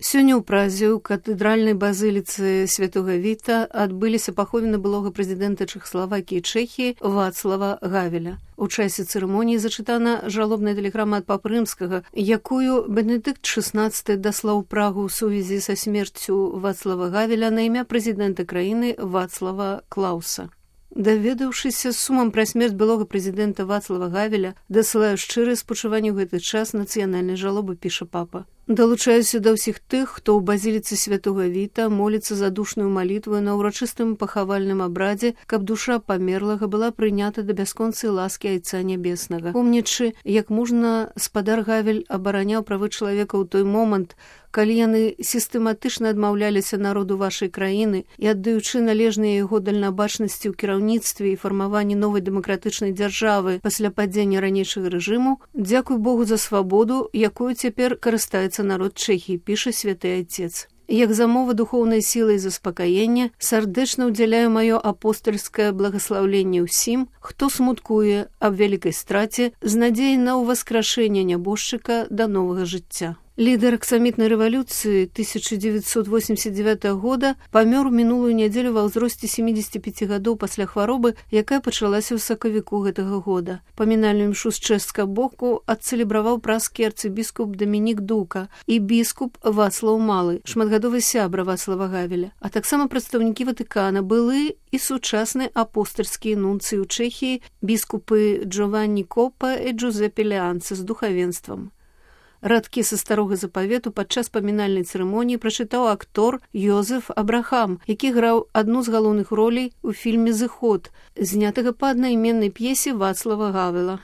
Сёння ў Празе ў катэдральнай базыліцы Святога Віта адбыліся паховіны былога прэзідэнта Чэхаславакіі і Чэхіі Вацлава Гавеля. У часе цырымоніі зачытана жалобная тэлеграма ад папы рымскага, якую Бенедыкт XVI даслаў Прагу ў сувязі са смерцю Вацлава Гавеля на імя прэзідэнта краіны Вацлава Клауса. Даведаўшыся з сумам пра смерць былога прэзідэнта Вацлава Гавеля, дасылаю шчырыя спачуванні ў гэты час нацыянальнай жалобы, піша папа. Далучаюся да ўсіх тых, хто ў базіліцы Святога Віта моліцца задушную малітву на ўрачыстым пахавальным абрадзе, каб душа памерлага была прынята да бясконцай ласкі Айца Нябеснага. Помнячы, як мужна спадар Гавель абараняў правы чалавека ў той момант, калі яны сістэматычна адмаўляліся народу вашай краіны і аддаючы належныя яго дальнабачнасці ў кіраўніцтве і фармаванні новай дэмакратычнай дзяржавы пасля падзення ранейшага рэжыму, дзякуй Богу за свабоду, якую цяпер карыстаецца народ Чэхіі, піша святы Айцец. Як замова духоўнай сілы і заспакаення, сардэчна ўдзяляю маё апостальскае благаслаўленне ўсім, хто смуткуе аб вялікай страце з надзеяй на ўваскрашэнне нябожчыка да новага жыцця. Лідар аксамітнай рэвалюцыі 1989 года памёр у мінулую нядзелю ва ўзросце 75 гадоў пасля хваробы, якая пачалася ў сакавіку гэтага года. Памінальную імшу з чэшскага боку адцэлебраваў празкі арцыбіскуп Дамінік Дука і біскуп Вацлаў Малы, шматгадовы сябра Вацлава Гавеля, а таксама прадстаўнікі Ватыкана, былы і сучасныя апостальскія нунцыі ў Чэхіі, біскупы Джованні Копа і Джузепе Леанца з духавенствам. Радкі са старога запавету падчас памінальнай цырымоніі прачытаў актор Йозеф Абрахам, які граў адну з галоўных ролей у фільме «Зыход», знятага па аднайменнай п'есе Вацлава Гавела.